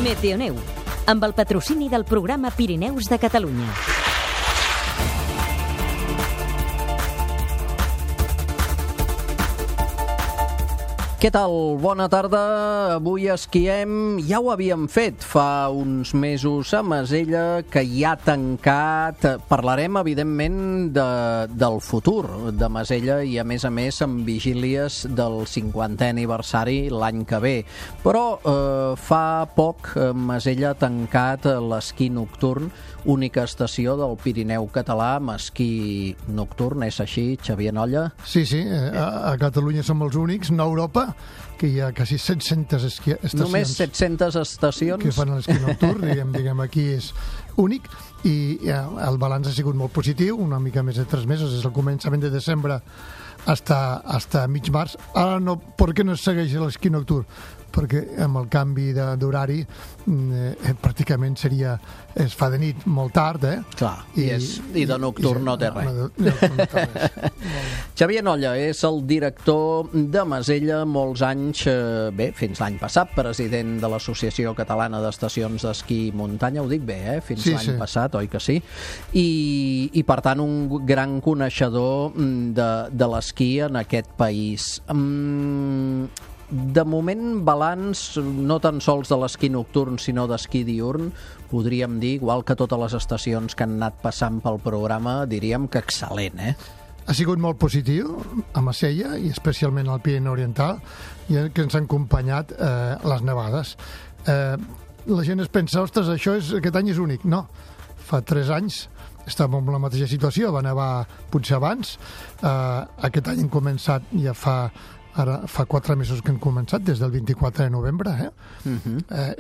Meteoneu, amb el patrocini del programa Pirineus de Catalunya. Què tal? Bona tarda. Avui esquiem. Ja ho havíem fet fa uns mesos a Masella, que ja ha tancat. Parlarem, evidentment, del futur de Masella i, a més, amb vigílies del 50è aniversari l'any que ve. Però fa poc Masella ha tancat l'esquí nocturn, única estació del Pirineu català amb esquí nocturn. És així, Xavier Nolla? Sí, a Catalunya som els únics, no a Europa, que hi ha quasi 700 estacions. Només 700 estacions? Que fan l'esquí nocturn, diguem, aquí és únic, i el balanç ha sigut molt positiu, una mica més de 3 mesos, des del començament de desembre hasta mig març. Ara no, per què no es segueix l'esquí nocturn? Perquè amb el canvi d'horari pràcticament es fa de nit molt tard, Clar, i de nocturn no té res. Xavier Nolla és el director de Masella molts anys, fins l'any passat, president de l'Associació Catalana d'Estacions d'Esquí i Muntanya, ho dic bé, fins l'any passat, oi que sí? I per tant un gran coneixedor de l'esquí en aquest país. De moment, balanç no tan sols de l'esquí nocturn, sinó d'esquí diürn, podríem dir, igual que totes les estacions que han anat passant pel programa, diríem que excel·lent, Ha sigut molt positiu a Masella i especialment al Pirineu Oriental, i que ens han acompanyat les nevades. La gent es pensa, ostres, aquest any és únic. No, fa 3 anys estàvem en la mateixa situació, va nevar potser abans. Aquest any hem començat ja Ara fa 4 mesos que hem començat, des del 24 de novembre.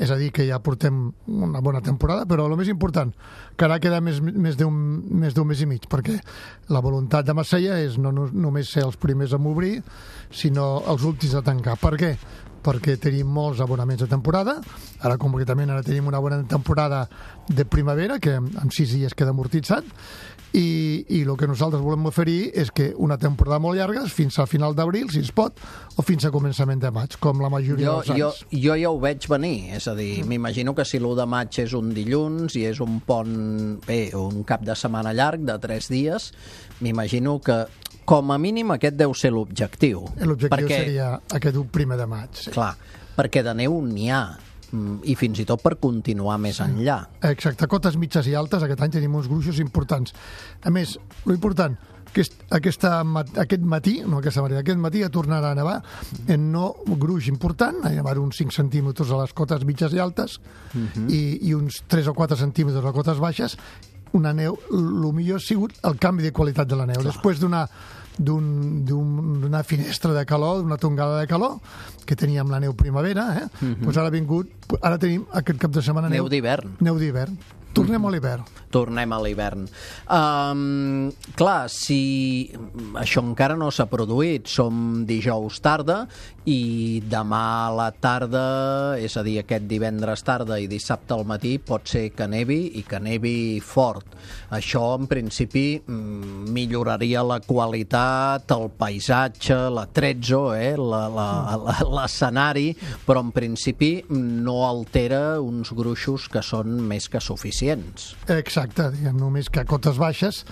És a dir, que ja portem una bona temporada, però el més important, que ara queda més d'un mes i mig, perquè la voluntat de Masella és no només ser els primers a obrir, sinó els últims a tancar. Per què? Perquè tenim molts abonaments de temporada. Ara concretament tenim una bona temporada de primavera, que en 6 dies queda amortitzat, i el que nosaltres volem oferir és que una temporada molt llarga, fins al final d'abril, si es pot, o fins a començament de maig, com la majoria dels anys. Jo ja ho veig venir, és a dir, m'imagino que si l'1 de maig és un dilluns i és un pont, un cap de setmana llarg de 3 dies, m'imagino que com a mínim aquest deu ser l'objectiu. L'objectiu seria aquest 1 de maig. Sí. Clar, perquè de neu n'hi ha, i fins i tot per continuar més enllà. Exacte, cotes mitges i altes, aquest any tenim uns gruixos importants. A més, l'important, que aquest matí ja tornarà a nevar en no gruix important, hi ha uns 5 centímetres a les cotes mitges i altes, i uns 3 o 4 centímetres a les cotes baixes. Una neu, el millor ha sigut el canvi de qualitat de la neu. Clar. Després d'una finestra de calor, d'una tongada de calor, que teníem la neu primavera, doncs ara tenim aquest cap de setmana neu d'hivern. Neu d'hivern. Tornem a l'hivern. Tornem a l'hivern. Clar, si això encara no s'ha produït, som dijous tarda i demà a la tarda, és a dir, aquest divendres tarda i dissabte al matí, pot ser que nevi i que nevi fort. Això, en principi, milloraria la qualitat, el paisatge, l'atrezzo, l'escenari, però en principi no altera uns gruixos que són més que suficients. Exacte, diguem, només que a cotes baixes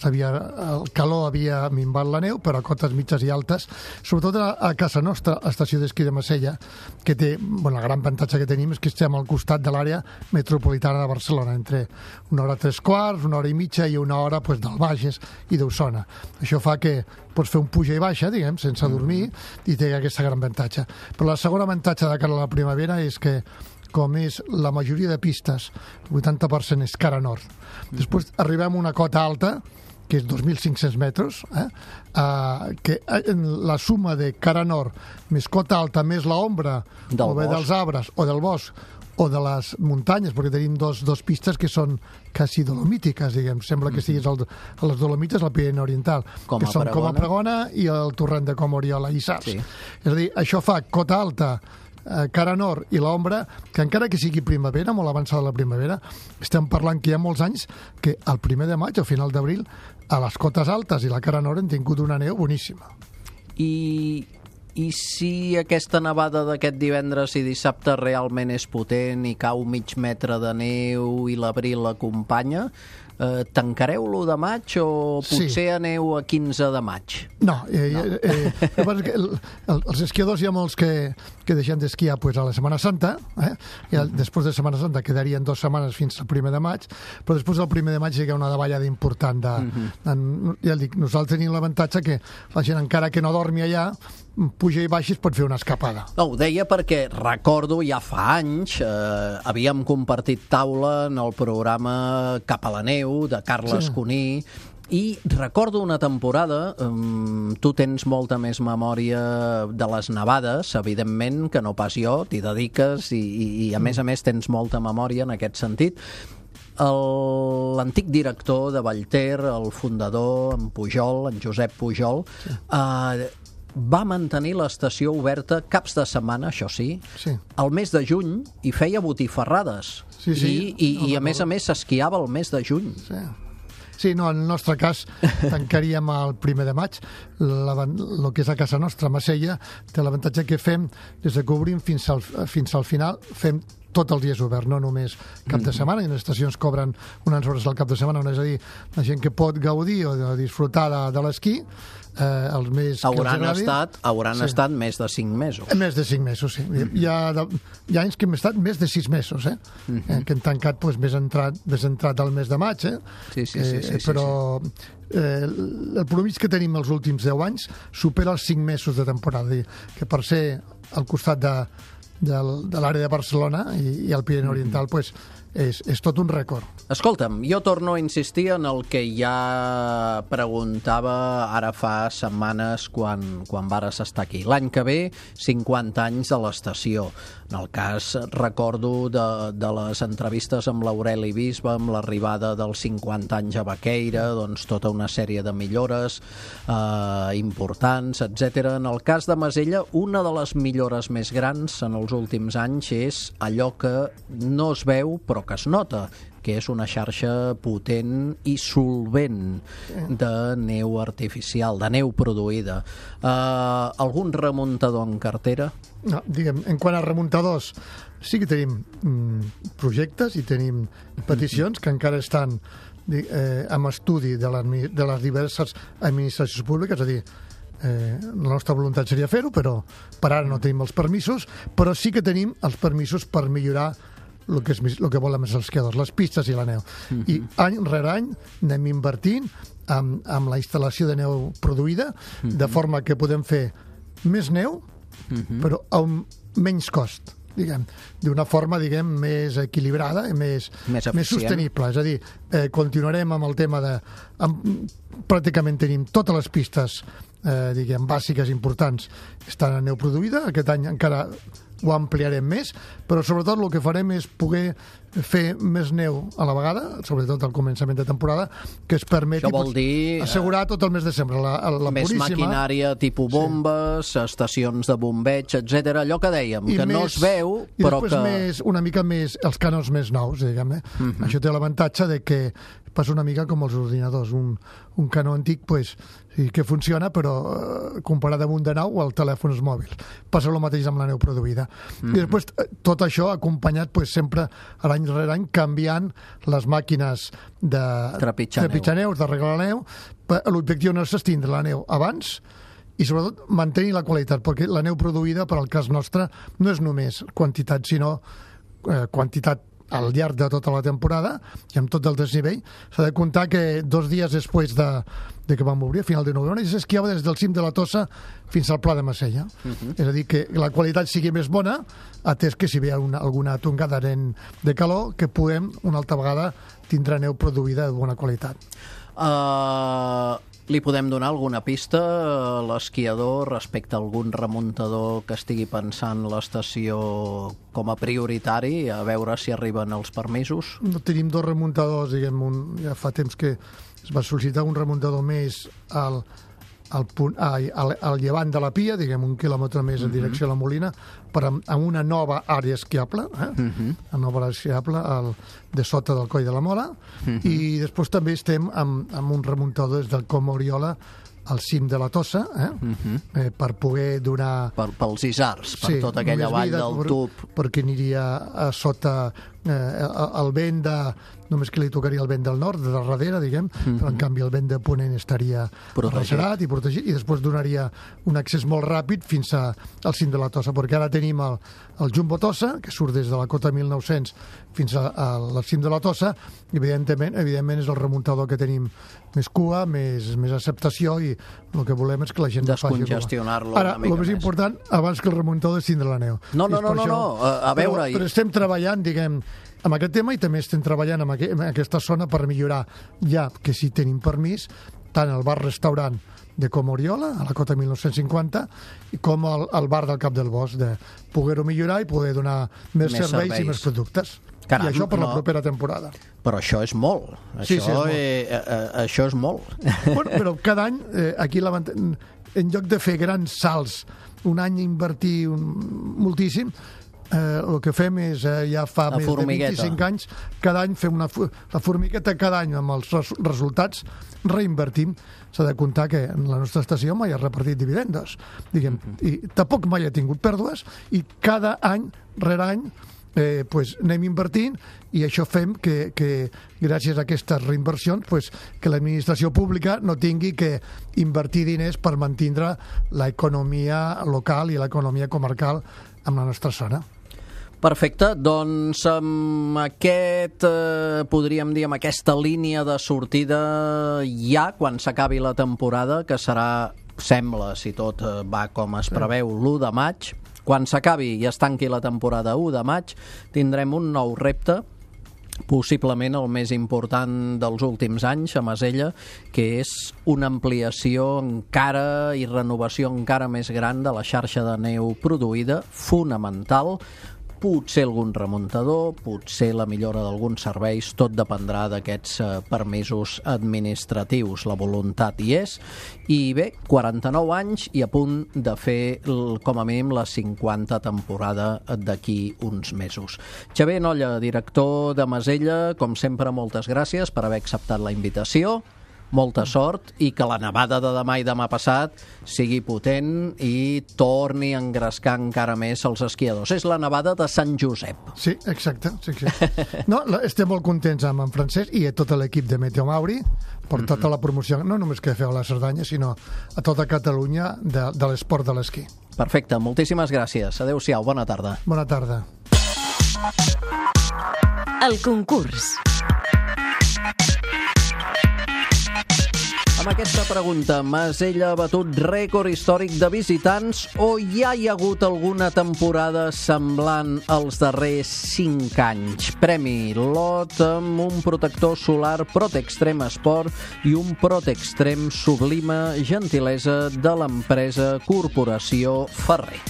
el calor havia minvat la neu, però a cotes mitges i altes, sobretot a casa nostra, a l'estació d'esquí de Masella, que té, el gran avantatge que tenim és que estem al costat de l'àrea metropolitana de Barcelona, entre 1 hora 3/4, 1 hora i mitja i 1 hora del Bages i d'Osona. Això fa que pots fer un puja i baixa, diguem, sense dormir, i té aquesta gran avantatge. Però el segon avantatge de cara a la primavera és que, com és la majoria de pistes, el 80% és cara nord. Després arribem a una cota alta, que és 2.500 metres, que la suma de cara nord més cota alta més l'ombra o bé dels arbres o del bosc o de les muntanyes, perquè tenim dos pistes que són quasi dolomítiques, diguem. Sembla que estiguis a les Dolomites, al Pirineu Oriental, que són com a Pregona i el torrent de Com Oriola i Sars. Sí. És a dir, això fa cota alta, cara nord i l'ombra, que encara que sigui primavera, molt avançada la primavera, estem parlant que hi ha molts anys que al 1 de maig, al final d'abril, a les cotes altes i la cara nord hem tingut una neu boníssima. I I si aquesta nevada d'aquest divendres i dissabte realment és potent i cau mig metre de neu i l'abril l'acompanya, tancareu l'1 de maig o potser aneu a 15 de maig? No. Els esquiadors hi ha molts que deixem d'esquiar a la Setmana Santa, i després de Setmana Santa quedarien 2 setmanes fins al 1 de maig, però després del 1 de maig hi ha una davallada important. Ja dic, nosaltres tenim l'avantatge que la gent, encara que no dormi allà, puja i baixa es pot fer una escapada. No, ho deia perquè recordo ja fa anys havíem compartit taula en el programa Cap a la neu de Carles Cuní i recordo una temporada, tu tens molta més memòria de les nevades, evidentment, que no pas jo, t'hi dediques i a més tens molta memòria en aquest sentit. L'antic director de Vallter, el fundador, en Pujol, en Josep Pujol, va mantenir l'estació oberta caps de setmana, això sí, al mes de juny, i feia botifarrades. I a més s'esquiava el mes de juny. Sí, no, en el nostre cas tancaríem el 1 de maig. El que és a casa nostra, Masella, té l'avantatge que fem, des que obrim fins al final, fem tots els dies obert, no només cap de setmana, i les estacions cobren unes hores al cap de setmana, és a dir, la gent que pot gaudir o disfrutar de l'esquí, els més hauran estat més de 5 mesos. Més de 5 mesos, sí. Hi ha anys que hem estat més de 6 mesos, que hem tancat més entrat al mes de maig, però el promís que tenim els últims 10 anys supera els 5 mesos de temporada, que per ser al costat de l'àrea de Barcelona i el Pirineu Oriental, és tot un rècord. Escolta'm, jo torno a insistir en el que ja preguntava ara fa setmanes quan vares estar aquí. L'any que ve, 50 anys de l'estació. En el cas, recordo, de les entrevistes amb l'Aureli Bisbe, amb l'arribada dels 50 anys a Baqueira, doncs tota una sèrie de millores importants, etc. En el cas de Masella, una de les millores més grans en els últims anys és allò que no es veu però que es nota, que és una xarxa potent i solvent de neu artificial, de neu produïda. Algun remuntador en cartera? No, diguem, en quant a remuntadors, sí que tenim projectes i tenim peticions que encara estan amb estudi de les diverses administracions públiques, és a dir, la nostra voluntat seria fer-ho, però per ara no tenim els permisos, però sí que tenim els permisos per millorar el que volen els esquiadors, les pistes i la neu. I any rere any anem invertint amb la instal·lació de neu produïda, de forma que podem fer més neu, però a un menys cost, diguem, d'una forma, diguem, més equilibrada i més sostenible. És a dir, continuarem amb el tema de... Pràcticament tenim totes les pistes, diguem, bàsiques importants estan en neu produïda. Aquest any encara ho ampliarem més, però sobretot el que farem és poder fer més neu a la vegada, sobretot al començament de temporada, que es permeti assegurar tot el mes de desembre. Més maquinària tipus bombes, estacions de bombeig, etc. Allò que dèiem, que no es veu, però que... I després una mica més els canons més nous, diguem. Això té l'avantatge de que passa una mica com els ordinadors. Un canó antic, sí que funciona, però comparat amb un de nou, el telèfon mòbil. Passa el mateix amb la neu produïda. I després tot això acompanyat sempre any rere any canviant les màquines de trepitjar neus, d'arreglar la neu. L'objectiu no és extindre la neu abans i sobretot mantenir la qualitat, perquè la neu produïda, per al cas nostre, no és només quantitat, sinó quantitat al llarg de tota la temporada i amb tot el desnivell. S'ha de comptar que 2 dies després de que vam obrir, a final de novembre, s'esquiava des del cim de la Tossa fins al Pla de Masella. És a dir, que la qualitat sigui més bona, atès que si hi ha alguna tongada de calor, que puguem una altra vegada tindre neu produïda de bona qualitat. Li podem donar alguna pista a l'esquiador respecte a algun remuntador que estigui pensant l'estació com a prioritari, a veure si arriben els permisos? No tenim 2 remuntadors, diguem, ja fa temps que es va sol·licitar un remuntador més al llevant de la Pia, diguem, 1 quilòmetre més en direcció a la Molina, amb una nova àrea esquiable, una nova àrea esquiable de sota del Coll de la Mola, i després també estem amb un remuntador des del Com Oriola al cim de la Tossa, per poder donar... Pels isars, per tota aquella vall del tub. Perquè aniria a sota el vent només que li tocaria el vent del nord, de darrere, diguem, però en canvi el vent de ponent estaria arrecerat i protegit, i després donaria un accés molt ràpid fins al cim de la Tossa, perquè ara tenim el Jumbo Tossa, que surt des de la cota 1900 fins al cim de la Tossa, i evidentment és el remuntador que tenim més cua, més acceptació, i el que volem és que la gent descongestionar-lo una mica més. Ara, el més important, abans que el remuntador és tindre la neu. No, a veure... Però estem treballant, diguem, amb aquest tema, i també estem treballant en aquesta zona per millorar, ja que si tenim permís, tant el bar-restaurant de Comoriola, a la cota 1950, com el bar del Cap del Bosc, de poder-ho millorar i poder donar més serveis i més productes. Caram, i això per la propera temporada. Però això és molt. Això és molt. Bueno, però cada any, aquí en lloc de fer grans salts, un any invertir moltíssim, el que fem és, ja fa més de 25 anys, cada any fem la formigueta, cada any amb els resultats reinvertim. S'ha de comptar que en la nostra estació mai ha repartit dividendos, diguem, i tampoc mai ha tingut pèrdues, i cada any, rere any, anem invertint, i això fem que gràcies a aquestes reinversions que l'administració pública no tingui que invertir diners per mantindre l'economia local i l'economia comarcal en la nostra zona. Perfecte, doncs amb podríem dir, amb aquesta línia de sortida ja, quan s'acabi la temporada, que serà, sembla, si tot va com es preveu, l'1 de maig, quan s'acabi i es tanqui la temporada 1 de maig, tindrem un nou repte, possiblement el més important dels últims anys a Masella, que és una ampliació encara i renovació encara més gran de la xarxa de neu produïda, fonamental, potser algun remuntador, potser la millora d'alguns serveis, tot dependrà d'aquests permisos administratius. La voluntat hi és, i bé, 49 anys i a punt de fer com a mínim la 50 temporada d'aquí uns mesos. Xavier Nolla, director de Masella, com sempre, moltes gràcies per haver acceptat la invitació. Molta sort, i que la nevada de demà i demà passat sigui potent i torni a engrescar encara més els esquiadors. És la nevada de Sant Josep. Sí, exacte. Sí. No, estem molt contents amb en Francesc i a tot l'equip de Meteo Mauri per tota la promoció, no només que feu a la Cerdanya, sinó a tota Catalunya de l'esport de l'esquí. Perfecte, moltíssimes gràcies. Adéu-siau, bona tarda. Bona tarda. El concurs. Amb aquesta pregunta, Masella ha batut rècord històric de visitants o ja hi ha hagut alguna temporada semblant als darrers 5 anys? Premi lot amb un protector solar Protextrem Sport i un Protextrem Sublima, gentilesa de l'empresa Corporació Ferrer.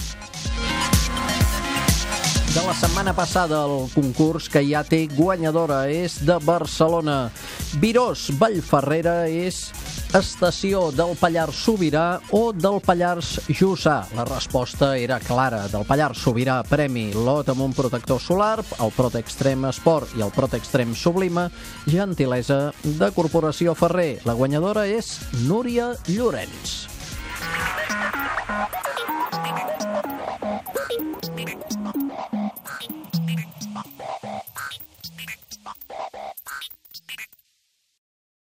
De la setmana passada, el concurs que ja té guanyadora és de Barcelona. Virós Vallferrera és estació del Pallars Sobirà o del Pallars Jussà? La resposta era clara. Del Pallars Sobirà, premi lot amb un protector solar, el Protextrem Sport i el Protextrem Sublima, gentilesa de Corporació Ferrer. La guanyadora és Núria Llorenç.